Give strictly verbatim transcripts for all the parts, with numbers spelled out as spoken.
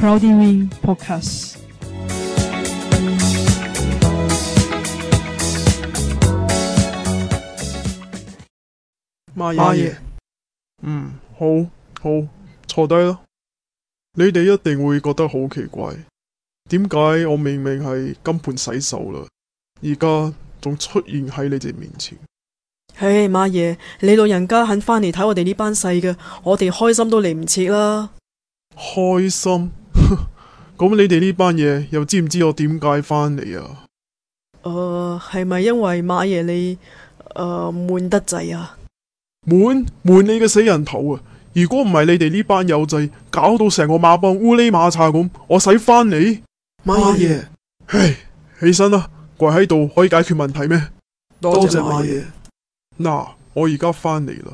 Cloudy Wing Podcast。媽爺，嗯，好，好，坐低啦。你哋一定會覺得好奇怪，點解我明明係金盆洗手啦，而家仲出現喺你哋面前？唉，媽爺，你老人家肯返嚟睇我哋呢班細嘅，我哋開心都嚟唔切啦。開心？咁你哋呢班嘢又知唔知我點解返嚟啊？誒、呃，係咪因為媽爺你誒悶得滯啊？悶悶你嘅死人頭啊！如果唔係你哋呢班友仔搞到成個馬幫烏哩馬叉咁，我使返嚟？媽爺，唉，起身啦，跪喺度可以解決問題咩？多謝媽爺。嗱，我而家返嚟啦，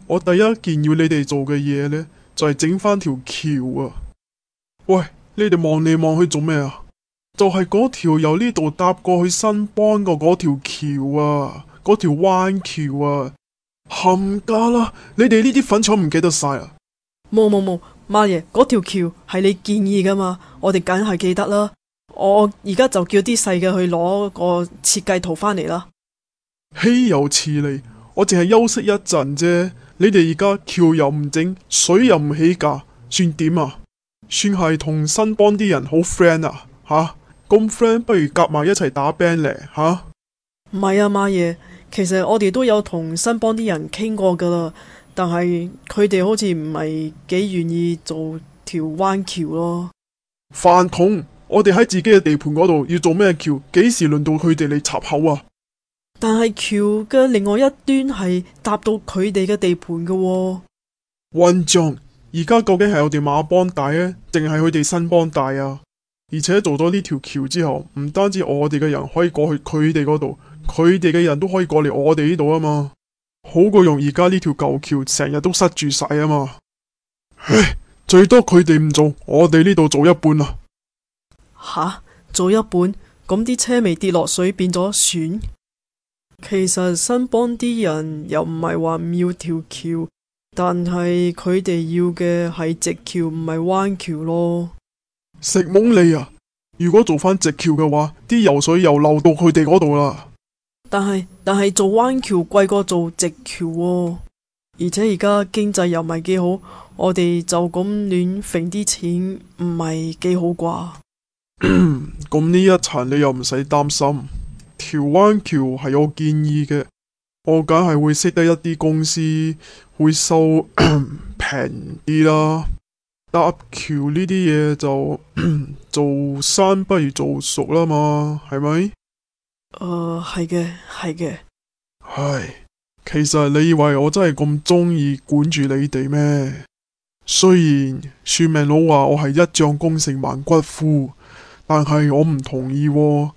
我第一件要你哋做嘅嘢呢，就係整返條橋啊！喂，你哋望嚟望去做咩啊？就係嗰條由呢度搭過去新邦嘅嗰條橋啊，嗰條彎橋啊！冚家啦！你哋呢啲粉腸唔記得晒啊！冇冇冇，媽爺，嗰條橋係你建議噶嘛，我哋梗係記得啦。我而家就叫啲細嘅去攞個設計圖返嚟啦。豈有此理！我淨係休息一陣啫，你哋而家橋又唔整，水又唔起價，算點啊？算係同新邦啲人好 friend 啊？吓，咁 friend 不如夾埋一齊打 band 咧吓？唔係啊，媽爺。其實我哋都有同新邦啲人傾過噶啦，但係佢哋好似唔係幾願意做條彎橋咯。飯桶！我哋喺自己嘅地盤嗰度要做咩橋？幾時輪到佢哋嚟插口啊？但係橋嘅另外一端係搭到佢哋嘅地盤噶喎。混帳！而家究竟係我哋馬幫大呢，定係佢哋新邦大啊？而且做咗呢條橋之後，唔單止我哋嘅人可以過去佢哋嗰度，佢哋嘅人都可以過嚟我哋呢度啊嘛，好過用而家呢條舊橋成日都塞住晒啊嘛。唉，最多佢哋唔做，我哋呢度做一半啦。吓，做一半？咁啲車未跌落水變咗船？其實新邦啲人又唔係話唔要條橋，但係佢哋要嘅係直橋，唔係彎橋咯。食懵你啊！如果做翻直橋嘅話，啲油水又漏到佢哋嗰度啦。但係但係做彎橋貴過做直橋喎，而且而家經濟又唔係幾好，我哋就咁亂揈啲錢唔係幾好啩？咁呢一層你又唔使擔心，條彎橋係我建議嘅，我梗係會識得一啲公司會收平啲啦。搭橋呢啲嘢就做生不如做熟啦嘛，係咪？誒，係嘅，係嘅。唉，其實你以為我真係咁中意管住你哋咩？雖然算命佬話我係一將功成萬骨枯，但係我唔同意喎。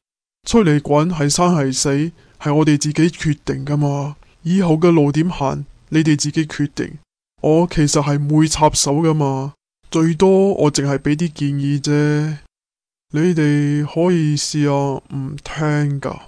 出嚟滾係生係死，係我哋自己決定噶嘛。以後嘅路點行，你哋自己決定。我其實係唔會插手噶嘛。最多我淨係俾啲建議啫，你哋可以試下唔聽噶。